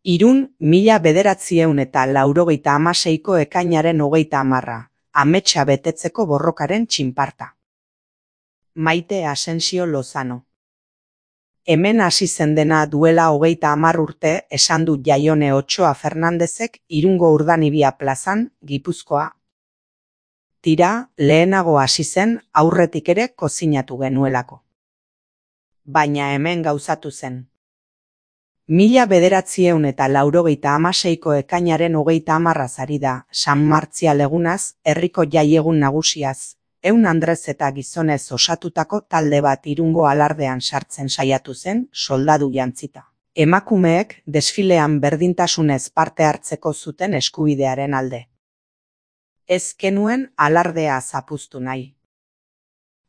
Irun 1996ko ekainaren 30, ametsa betetzeko borrokaren txinparta. Maite Asensio Lozano. Hemen hasi zen dena duela 30 urte, esan du Jaione Otsoa Fernandezek Irungo Urdanibia plazan, Gipuzkoa. Tira, lehenago hasi zen, aurretik ere kozinatu genuelako. Baina hemen gauzatu zen. 1996ko ekainaren 30 ari da, San Martzial egunaz, herriko jaiegun nagusiaz, 100 andrez eta gizonez osatutako talde bat Irungo alardean sartzen saiatu zen, soldadu jantzita. Emakumeek desfilean berdintasunez parte hartzeko zuten eskubidearen alde. Ez genuen alardea zapuztu nahi.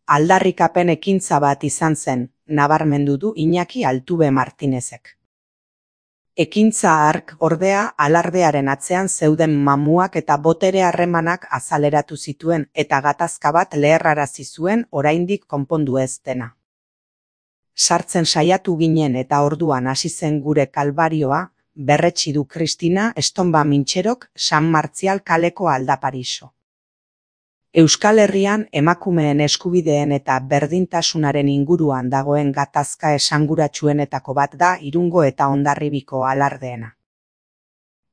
Aldarrikapen ekintza bat izan zen, nabarmendu du Iñaki Altube Martinezek. Ekintza hark ordea alardearen atzean zeuden mamuak eta botere harremanak azaleratu zituen eta gatazka bat leherrarazi zuen oraindik konpondu ez dena. Sartzen saiatu ginen eta orduan hasi zen gure kalbarioa, berretsi du Kristina Estonba Mintxerok San Martzial kaleko aldapariso. Euskal Herrian emakumeen eskubideen eta berdintasunaren inguruan dagoen gatazka esanguratsuenetako bat da Irungo eta Hondarribiko alardeena.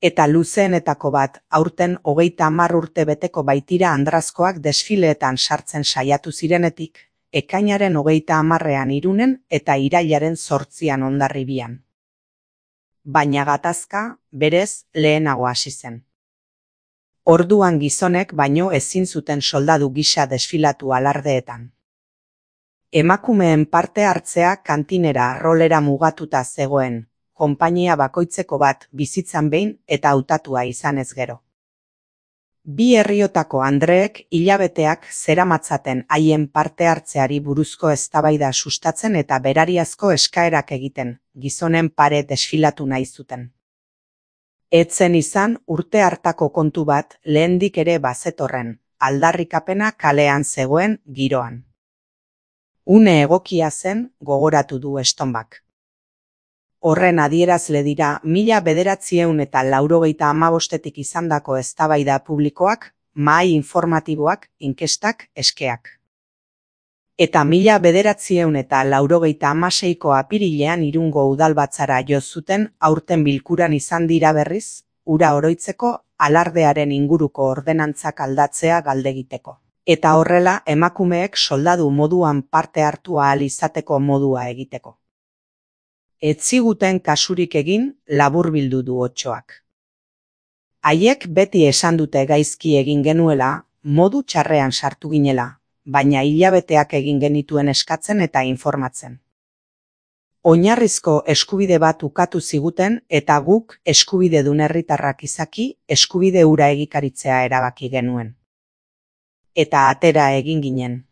Eta luzeenetako bat, aurten 30 urte beteko baitira andrazkoak desfileetan sartzen saiatu zirenetik, ekainaren 30ean Irunen eta irailaren 8an Hondarribian. Baina gatazka, berez, lehenago hasi zen. Orduan gizonek baino ezin zuten soldadu gisa desfilatu alardeetan. Emakumeen parte hartzea kantinera rolera mugatuta zegoen, konpainia bakoitzeko bat bizitzan behin eta hautatua izanez gero. Bi herriotako andreek hilabeteak zeramatzaten haien parte hartzeari buruzko eztabaida sustatzen eta berariazko eskaerak egiten, gizonen pare desfilatu nahi zuten. Etzen izan urte hartako kontu bat lehendik ere bazetorren, aldarrikapena kalean zegoen giroan. Une egokia zen, gogoratu du Estonbak. Horren adierazle dira 1995etik izandako eztabaida publikoak, mahai informatiboak, inkestak, eskeak. Eta 1996ko apirilean Irungo udalbatzara jo zuten aurten bilkuran izan dira berriz, hura oroitzeko alardearen inguruko ordenantzak aldatzea galdegiteko. Eta horrela emakumeek soldadu moduan parte hartu ahal izateko modua egiteko. Ez ziguten kasurik egin, laburbildu du Otsoak. Haiek beti esan dute gaizki egin genuela, modu txarrean sartu ginela, baina hilabeteak egin genituen eskatzen eta informatzen. Oinarrizko eskubide bat ukatu ziguten eta guk eskubidedun herritarrak izaki eskubide hura egikaritzea erabaki genuen. Eta atera egin ginen.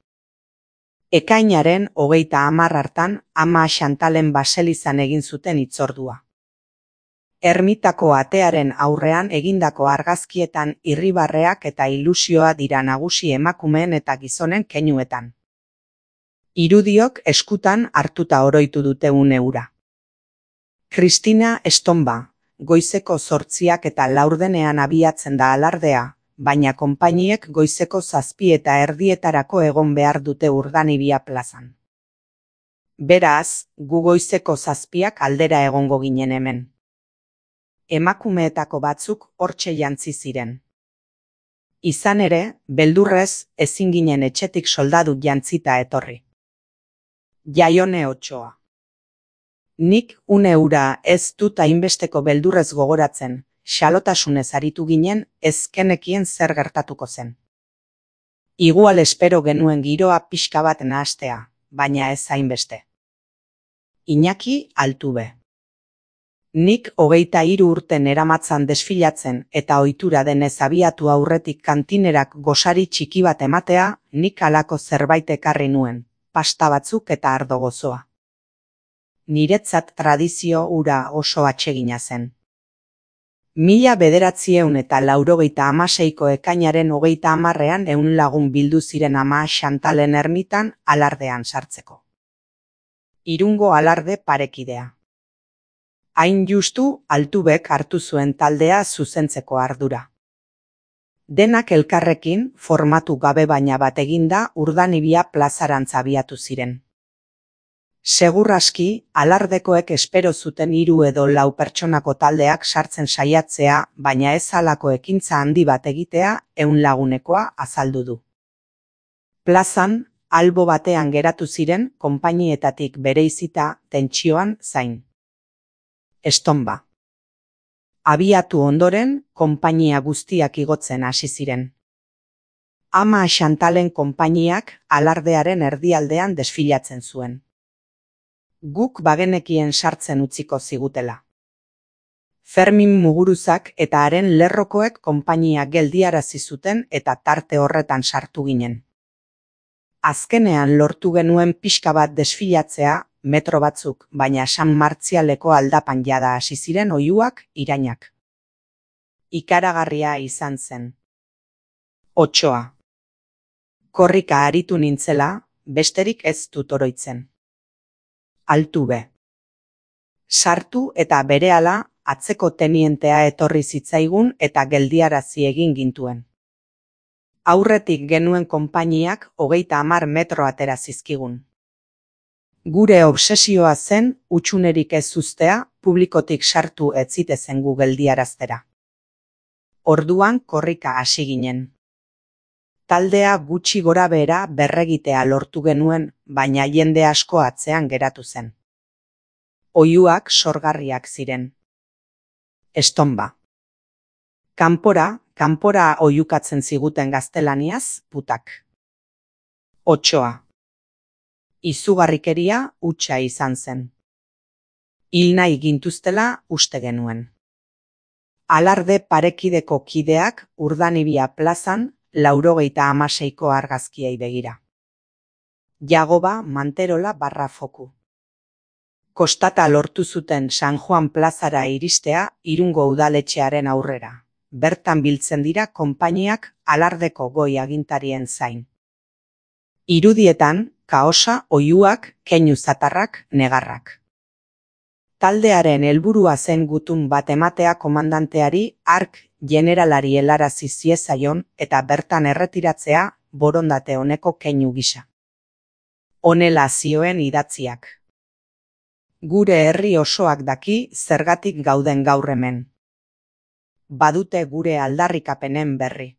Ekainaren 30 hartan ama Xantalen baselizan egin zuten hitzordua. Ermitako atearen aurrean egindako argazkietan irribarreak eta ilusioa dira nagusi emakumeen eta gizonen keinuetan. Irudiok eskutan hartuta oroitu dute une hura. Kristina Estonba, goizeko 8 eta 4 abiatzen da alardea, baina konpainiek goizeko 7:30 egon behar dute Urdanibia plazan. Beraz, gu goizeko 7 aldera egongo ginen hemen. Emakumeetako batzuk hortxe jantzi ziren. Izan ere, beldurrez, ezin ginen etxetik soldadu jantzita etorri. Jaione Otsoa. Nik une hura ez dut hainbesteko beldurrez gogoratzen, xalotasunez aritu ginen, ez genekien zer gertatuko zen. Igual espero genuen giroa pixka bat nahastea, baina ez hainbeste. Iñaki Altube. Nik 23 urte neramatzan desfilatzen eta ohitura denez abiatu aurretik kantinerak gosari txiki bat ematea, nik halako zerbait ekarri nuen, pasta batzuk eta ardo gozoa. Niretzat tradizio hura oso atsegina zen. 1996ko ekainaren 30ean 100 lagun bildu ziren ama Xantalen ermitan alardean sartzeko. Irungo alarde parekidea. Hain justu Altubek hartu zuen taldea zuzentzeko ardura. Denak elkarrekin, formatu gabe baina bat eginda, Urdanibia plazarantz abiatu ziren. Segur aski, alardekoek espero zuten 3 edo 4 pertsonako taldeak sartzen saiatzea, baina ez halako ekintza handi bat egitea 100 lagunekoa azaldu du. Plazan, albo batean geratu ziren, konpainietatik bereizita, tentsioan zain. Estonba. Abiatu ondoren, konpainia guztiak igotzen hasi ziren. Ama Xantalen konpainiak alardearen erdialdean desfilatzen zuen. Guk bagenekien sartzen utziko zigutela. Fermin Muguruzak eta haren lerrokoek konpainia geldiarazi zuten eta tarte horretan sartu ginen. Azkenean lortu genuen pixka bat desfilatzea, metro batzuk, baina San Martzialeko aldapan jada hasi ziren oihuak, irainak. Ikaragarria izan zen. 8. Korrika aritu nintzela, besterik ez dut oroitzen. Altube. Sartu eta berehala atzeko tenientea etorri zitzaigun eta geldiarazi egin gintuen. Aurretik genuen konpainiak 30 metro atera zizkigun. Gure obsesioa zen hutsunerik ez uztea, publikotik sartu ez zitezen gu geldiaraztera. Orduan korrika hasi ginen. Taldea gutxi gorabehera berregitea lortu genuen, baina jende asko atzean geratu zen. Oihuak sorgarriak ziren. Estonba. Kanpora oihukatzen ziguten gaztelaniaz, putak. 8. Izugarrikeria hutsa izan zen. Hil nahi gintuztela uste genuen. Alarde parekideko kideak Urdanibia plazan 96ko argazkiei begira. Jagoba Manterola /Foku. Kostata lortu zuten San Juan plazara iristea Irungo udaletxearen aurrera. Bertan biltzen dira konpainiak alardeko goi agintarien zain. Irudietan, kaosa, oihuak, keinu zatarrak, negarrak. Taldearen helburua zen gutun bat ematea komandanteari hark generalari helarazi ziezaion eta bertan erretiratzea borondate honeko keinu gisa. Honela zioen idatziak. Gure herri osoak daki zergatik gauden gaur hemen. Badute gure aldarrikapenen berri.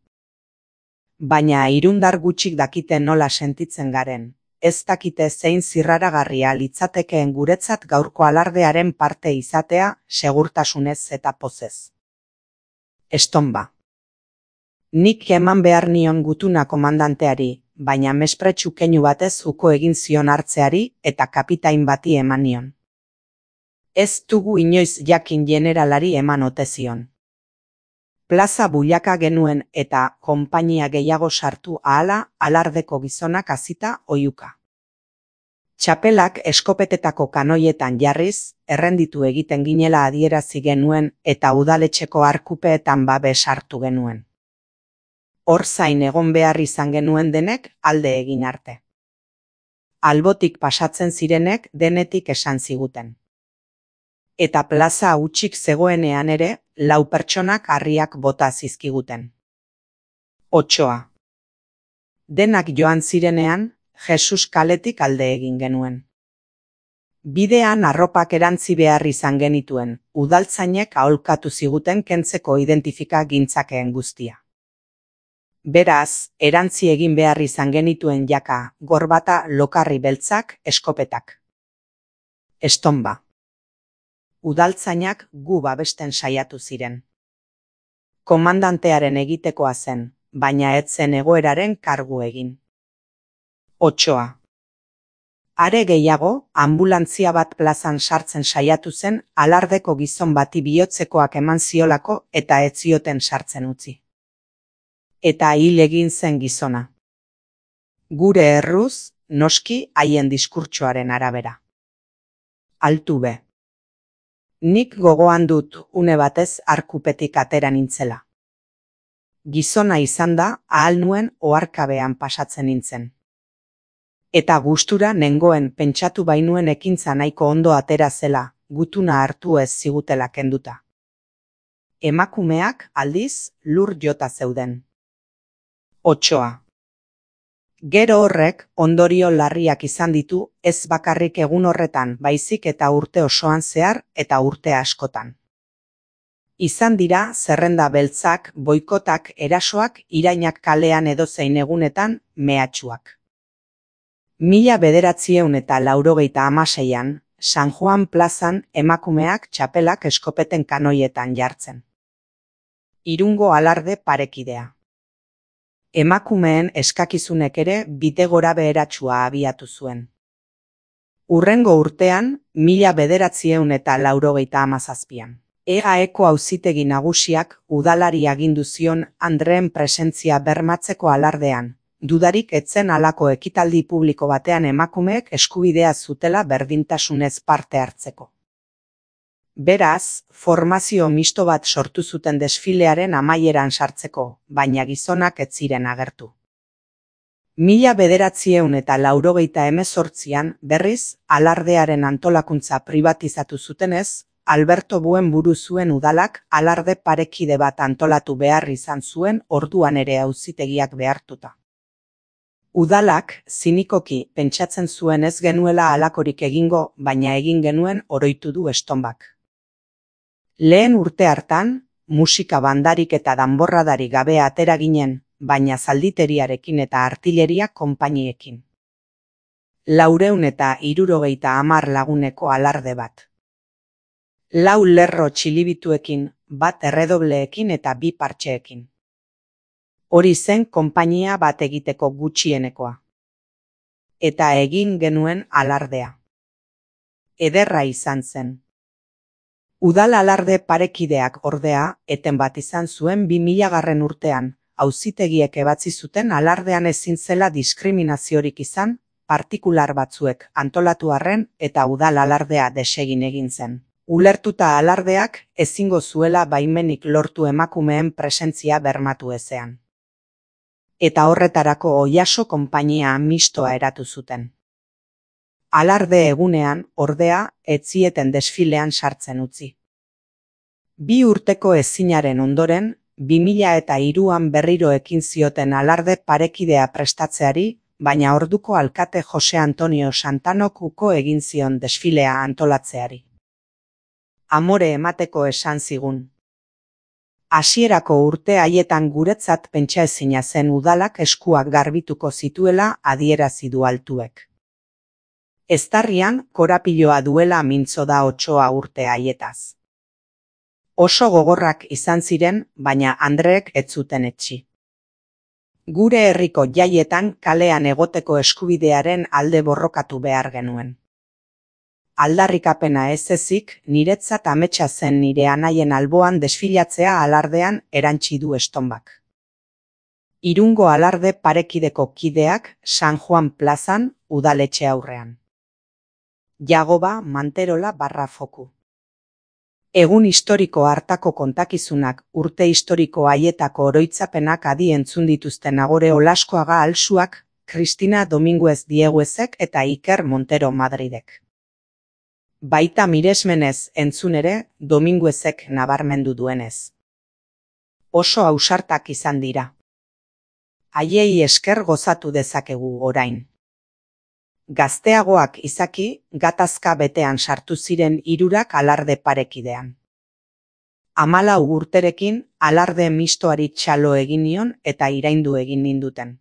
Baina irundar gutxik dakite nola sentitzen garen. Ez dakite zein zirraragarria litzatekeen guretzat gaurko alardearen parte izatea, segurtasunez eta pozez. Estonba. Nik eman behar nion gutuna komandanteari, baina mespretxu keinu batez uko egin zion hartzeari eta kapitain bati eman nion. Ez dugu inoiz jakin generalari eman ote zion. Plaza bulaka genuen eta konpainia gehiago sartu ahala alardeko gizonak hasita oihuka. Txapelak eskopetetako kanoietan jarriz, errenditu egiten ginela adierazi genuen eta udaletxeko arkupeetan babes hartu genuen. Hor zain egon behar izan genuen denek alde egin arte. Albotik pasatzen zirenek denetik esan ziguten. Eta plaza hutsik zegoenean ere, 4 pertsonak harriak bota zizkiguten. 8. Denak joan zirenean, Jesus kaletik alde egin genuen. Bidean arropak erantzi behar izan genituen, udaltzainek aholkatu ziguten kentzeko identifika gintzakeen guztia. Beraz, erantzi egin behar izan genituen jaka, gorbata, lokarri beltzak, eskopetak. Estonba. Udaltzainak gu babesten saiatu ziren. Komandantearen egitekoa zen, baina ez zen egoeraren kargu egin. 8. Are gehiago, anbulantzia bat plazan sartzen saiatu zen alardeko gizon bati bihotzekoak eman ziolako eta ez zioten sartzen utzi. Eta hil egin zen gizona. Gure erruz, noski haien diskurtsoaren arabera. Altube. Nik gogoan dut une batez arkupetik atera nintzela. Gizona izan da, ahal nuen oharkabean pasatzen nintzen. Eta gustura nengoen pentsatu bainuen ekintza nahiko ondo atera zela, gutuna hartu ez zigutela kenduta. Emakumeak, aldiz, lur jota zeuden. 8. Gero horrek ondorio larriak izan ditu ez bakarrik egun horretan baizik eta urte osoan zehar eta urte askotan. Izan dira zerrenda beltzak, boikotak, erasoak, irainak kalean edozein egunetan, mehatxuak. 1986an, San Juan plazan emakumeak txapelak eskopeten kanoietan jartzen. Irungo alarde parekidea. Emakumeen eskakizunek ere bide gorabeheratsua abiatu zuen. Hurrengo urtean, 1987an. EAeko auzitegi nagusiak udalari agindu zion andreen presentzia bermatzeko alardean, dudarik etzen halako ekitaldi publiko batean emakumeek eskubidea zutela berdintasunez parte hartzeko. Beraz, formazio misto bat sortu zuten desfilearen amaieran sartzeko, baina gizonak ez ziren agertu. 1988an berriz, alardearen antolakuntza pribatizatu zutenez, Alberto Buen buru zuen udalak alarde parekide bat antolatu behar izan zuen orduan ere auzitegiak behartuta. Udalak, zinikoki, pentsatzen zuen ez genuela halakorik egingo, baina egin genuen oroitu du estonbak. Lehen urte hartan, musika bandarik eta danborradari gabe atera ginen, baina zalditeriarekin eta artilleria konpainiekin. 450 laguneko alarde bat. 4 lerro txilibituekin, bat erredobleekin eta 2 partxeekin. Hori zen konpainia bat egiteko gutxienekoa. Eta egin genuen alardea. Ederra izan zen. Udal alarde parekideak ordea, eten bat izan zuen 2000 urtean, auzitegiek ebatzi zuten alardean ezin zela diskriminaziorik izan, partikular batzuek antolatu arren eta udal alardea desegin egin zen. Ulertuta alardeak ezingo zuela baimenik lortu emakumeen presentzia bermatu ezean. Eta horretarako Oiaso konpainia mistoa eratu zuten. Alarde egunean, ordea, ez zieten desfilean sartzen utzi. 2 urteko ezinaren ondoren, 2003an berriro ekin zioten alarde parekidea prestatzeari, baina orduko alkate Jose Antonio Santanok uko egin zion desfilea antolatzeari. Amore emateko esan zigun. Hasierako urte haietan guretzat pentsaezina zen udalak eskuak garbituko zituela adierazi du altuek. Eztarrian korapiloa duela mintzo da Otsoa urte haietaz. Oso gogorrak izan ziren, baina Andreek ez zuten etsi. Gure herriko jaietan kalean egoteko eskubidearen alde borrokatu behar genuen. Aldarrikapena ez ezik, niretzat ametsa zen nire anaien alboan desfilatzea alardean erantsi du estonbak. Irungo alarde parekideko kideak San Juan plazan udaletxe aurrean. Jagoba Manterola /Foku. Egun historiko hartako kontakizunak, urte historiko haietako oroitzapenak adi entzun dituzten Agore Olaskoaga Alsuak, Cristina Dominguez Dieguezek eta Iker Montero Madridek. Baita miresmenez entzun ere, Dominguezek nabarmendu duenez. Oso ausartak izan dira. Haiei esker gozatu dezakegu orain. Gazteagoak izaki, gatazka betean sartu ziren 3 alarde parekidean. 14 urterekin alarde mistoari txalo egin nion eta iraindu egin ninduten.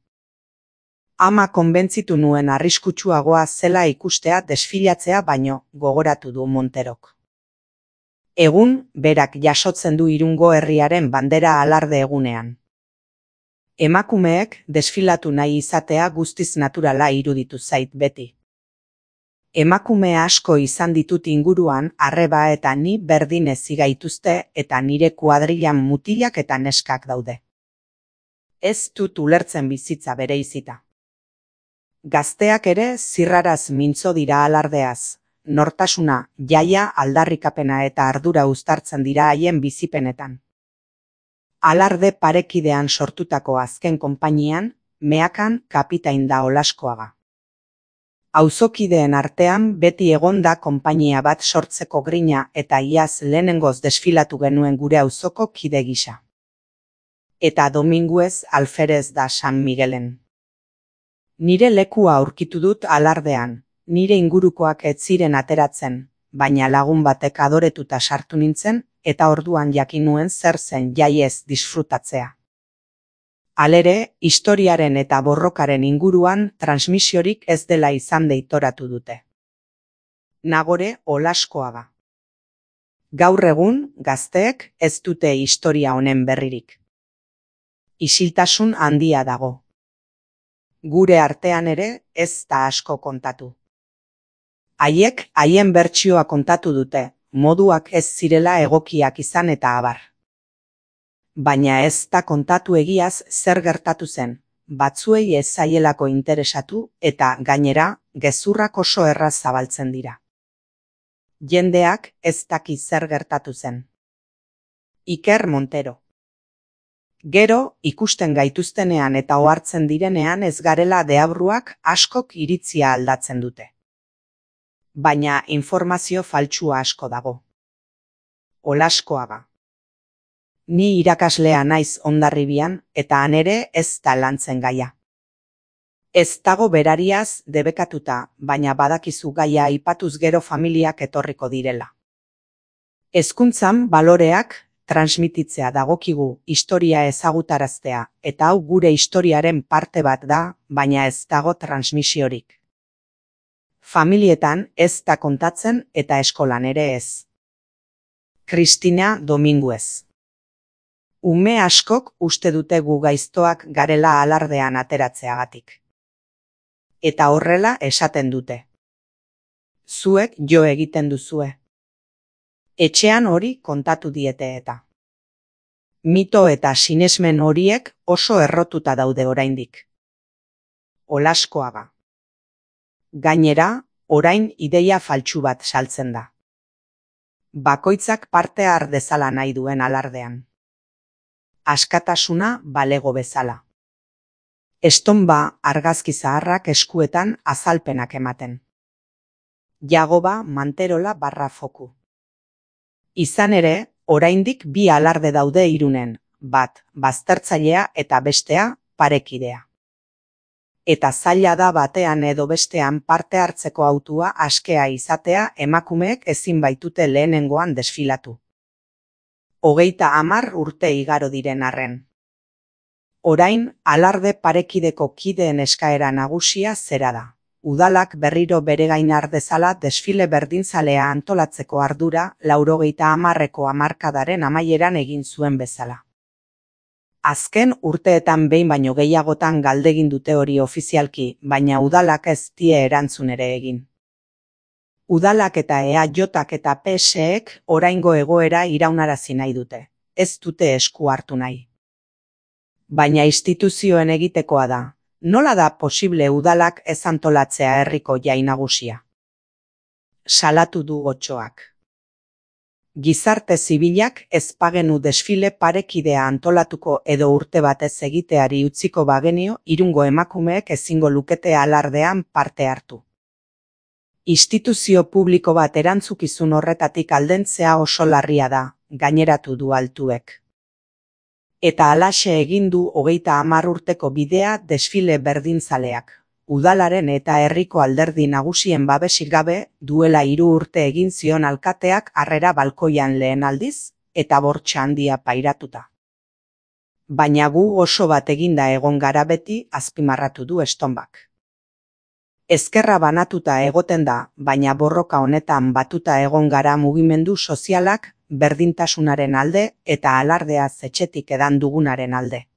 Ama konbentzitu nuen arriskutsuagoa zela ikustea desfilatzea baino, gogoratu du Monterok. Egun, berak jasotzen du Irungo herriaren bandera alarde egunean. Emakumeek desfilatu nahi izatea guztiz naturala iruditu zait beti. Emakume asko izan ditut inguruan, arreba eta ni berdin ezi gaituzte eta nire kuadrilan mutilak eta neskak daude. Ez dut ulertzen bizitza bereizita. Gazteak ere zirraraz mintzo dira alardeaz, nortasuna, jaia, aldarrikapena eta ardura uztartzen dira haien bizipenetan. Alarde parekidean sortutako azken konpainian, meakan kapitain da Olaskoaga. Auzokideen artean beti egon da konpainia bat sortzeko grina eta iaz lehenengoz desfilatu genuen gure auzoko kide gisa. Eta Dominguez alferez da San Miguelen. Nire lekua aurkitu dut alardean, nire ingurukoak ez ziren ateratzen, baina lagun batek adoretuta sartu nintzen eta orduan jakin nuen zer zen jaiez disfrutatzea. Halere, historiaren eta borrokaren inguruan transmisiorik ez dela izan deitoratu dute. Nagore Olaskoaga. Gaur egun, gazteek ez dute historia honen berririk. Isiltasun handia dago. Gure artean ere ez da asko kontatu. Haiek haien bertsioa kontatu dute, moduak ez zirela egokiak izan eta abar. Baina ez da kontatu egiaz zer gertatu zen, batzuei ez zaielako interesatu eta gainera gezurrak oso erraz zabaltzen dira. Jendeak ez daki zer gertatu zen. Iker Montero. Gero, ikusten gaituztenean eta ohartzen direnean ez garela deabruak askok iritzia aldatzen dute. Baina informazio faltsua asko dago. Olaskoaga. Ni irakaslea naiz Hondarribian eta han ere ez da lantzen gaia. Ez dago berariaz debekatuta, baina badakizu gaia aipatuz gero familiak etorriko direla. Hezkuntzan baloreak transmititzea dagokigu historia ezagutaraztea, eta hau gure historiaren parte bat da, baina ez dago transmisiorik. Familietan ez da kontatzen eta eskolan ere ez. Cristina Dominguez. Ume askok uste dute gu gaiztoak garela alardean ateratzeagatik. Eta horrela esaten dute. Zuek jo egiten duzue. Etxean hori kontatu diete eta. Mito eta sinesmen horiek oso errotuta daude oraindik. Olaskoaga. Gainera, orain ideia faltsu bat saltzen da. Bakoitzak parte har dezala nahi duen alardean. Askatasuna balego bezala. Estonba argazki zaharrak eskuetan azalpenak ematen. Jagoba Manterola /foku. Izan ere, oraindik bi alarde daude Irunen, bat baztertzailea eta bestea parekidea. Eta zaila da batean edo bestean parte hartzeko hautua askea izatea emakumeek ezin baitute lehenengoan desfilatu. 30 urte igaro diren arren. Orain, alarde parekideko kideen eskaera nagusia zera da. Udalak berriro bere gain har dezala desfile berdinzalea antolatzeko ardura 90ko hamarkadaren amaieran egin zuen bezala. Azken urteetan behin baino gehiagotan galdegin dute hori ofizialki, baina udalak ez die erantzun ere egin. Udalak eta EAJak eta PSek oraingo egoera iraunarazi nahi dute, ez dute esku hartu nahi. Baina instituzioen egitekoa da. Nola da posible udalak ez antolatzea herriko jai nagusia? Salatu du Otsoak. Gizarte zibilak ez bagenu desfile parekidea antolatuko edo urte batez egiteari utziko bagenio Irungo emakumeek ezingo lukete alardean parte hartu. Instituzio publiko bat erantzukizun horretatik aldentzea oso larria da, gaineratu du Altuek. Eta halaxe egin du 30 urteko bidea desfile berdinzaleak. Udalaren eta herriko alderdi nagusien babesik gabe duela 3 urte egin zion alkateak harrera balkoian lehen aldiz eta bortxa handia pairatuta. Baina gu oso bat eginda egon gara beti azpimarratu du Estonbak. Ezkerra banatuta egoten da, baina borroka honetan batuta egon gara mugimendu sozialak berdintasunaren alde eta alardea etxetik edan dugunaren alde.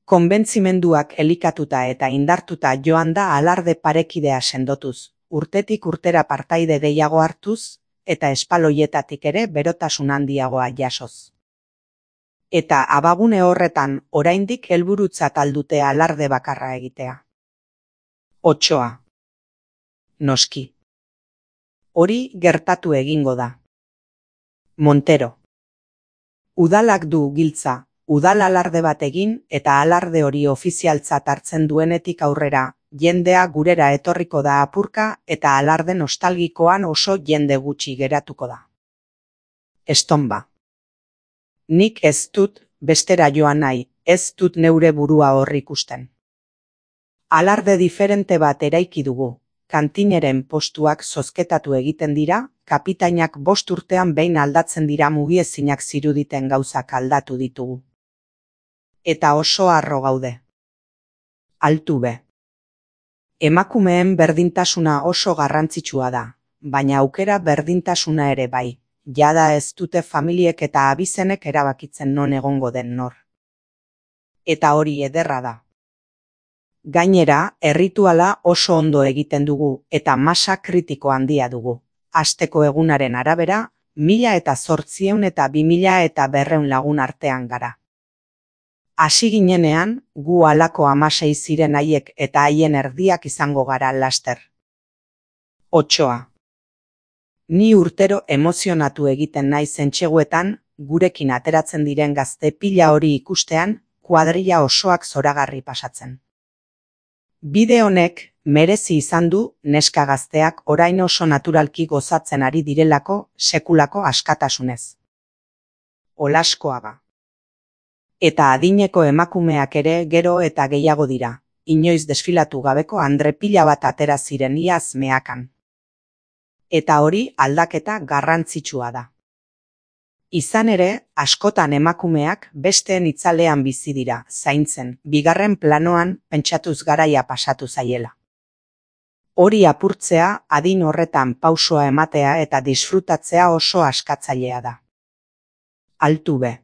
Konbentzimenduak elikatuta eta indartuta joan da alarde parekidea sendotuz, urtetik urtera partaide gehiago hartuz eta espaloietatik ere berotasun handiagoa jasoz. Eta abagune horretan oraindik helburutzat aldute alarde bakarra egitea. Otsoa. Noski. Hori gertatu egingo da. Montero. Udalak du giltza, udal alarde bat egin eta alarde hori ofizialtzat hartzen duenetik aurrera, jendea gurera etorriko da apurka eta alarde nostalgikoan oso jende gutxi geratuko da. Estonba. Nik ez dut bestera joan nahi, ez dut neure burua hor ikusten. Alarde diferente bat eraiki dugu, kantineren postuak zozketatu egiten dira, kapitainak 5 urtean behin aldatzen dira mugiezinak ziruditen gauzak aldatu ditugu. Eta oso harro gaude. Altuve. Emakumeen berdintasuna oso garrantzitsua da, baina aukera berdintasuna ere bai, jada ez dute familiek eta abizenek erabakitzen non egongo den nor. Eta hori ederra da. Gainera, errituala oso ondo egiten dugu eta masa kritiko handia dugu. Asteko egunaren arabera, 1800 eta 2200 lagun artean gara. Hasi ginenean, gu halako 16 ziren haiek eta haien erdiak izango gara laster. 8. Ni urtero emozionatu egiten naiz entseguetan, gurekin ateratzen diren gazte pila hori ikustean, kuadrilla osoak zoragarri pasatzen. Bide honek merezi izan du neska gazteak orain oso naturalki gozatzen ari direlako sekulako askatasunez. Olaskoaga. Eta adineko emakumeak ere gero eta gehiago dira, inoiz desfilatu gabeko andre pila bat atera ziren iaz meakan. Eta hori aldaketa garrantzitsua da. Izan ere, askotan emakumeak besteen itzalean bizi dira, zaintzen, bigarren planoan pentsatuz garaia pasatu zaiela. Hori apurtzea, adin horretan pausoa ematea eta disfrutatzea oso askatzailea da. Altuve.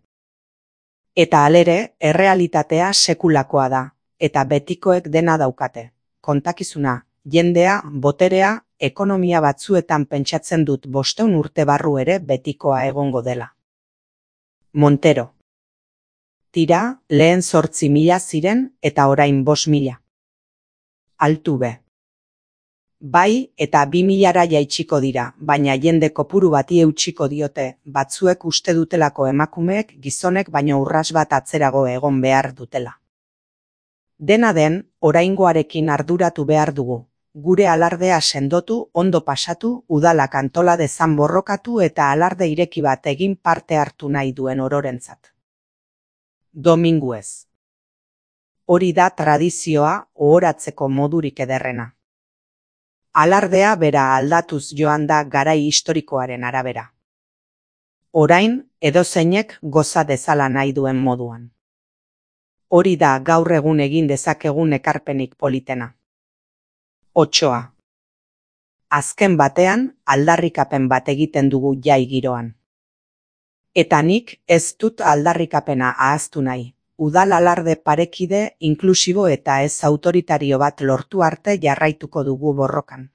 Eta halere, errealitatea sekulakoa da, eta betikoek dena daukate. Kontakizuna, jendea, boterea, ekonomia batzuetan pentsatzen dut 500 urte barru ere betikoa egongo dela. Montero. Tira, lehen 8.000 ziren eta orain 5.000. Altuve. Bai eta 2.000ra jaitsiko dira, baina jende kopuru bati eutsiko diote, batzuek uste dutelako emakumeek gizonek baino urras bat atzerago egon behar dutela. Dena den, oraingoarekin arduratu behar dugu. Gure alardea sendotu, ondo pasatu, udalak antola dezan borrokatu eta alarde ireki bat egin parte hartu nahi duen ororentzat. Dominguez. Hori da tradizioa ohoratzeko modurik ederrena. Alardea bera aldatuz joan da garai historikoaren arabera. Orain, edozeinek goza dezala nahi duen moduan. Hori da gaur egun egin dezakegun ekarpenik politena. 8. Azken batean, aldarrikapen bat egiten dugu jai giroan. Eta nik ez dut aldarrikapena ahaztu nahi. Udal alarde parekide, inklusibo eta ez autoritario bat lortu arte jarraituko dugu borrokan.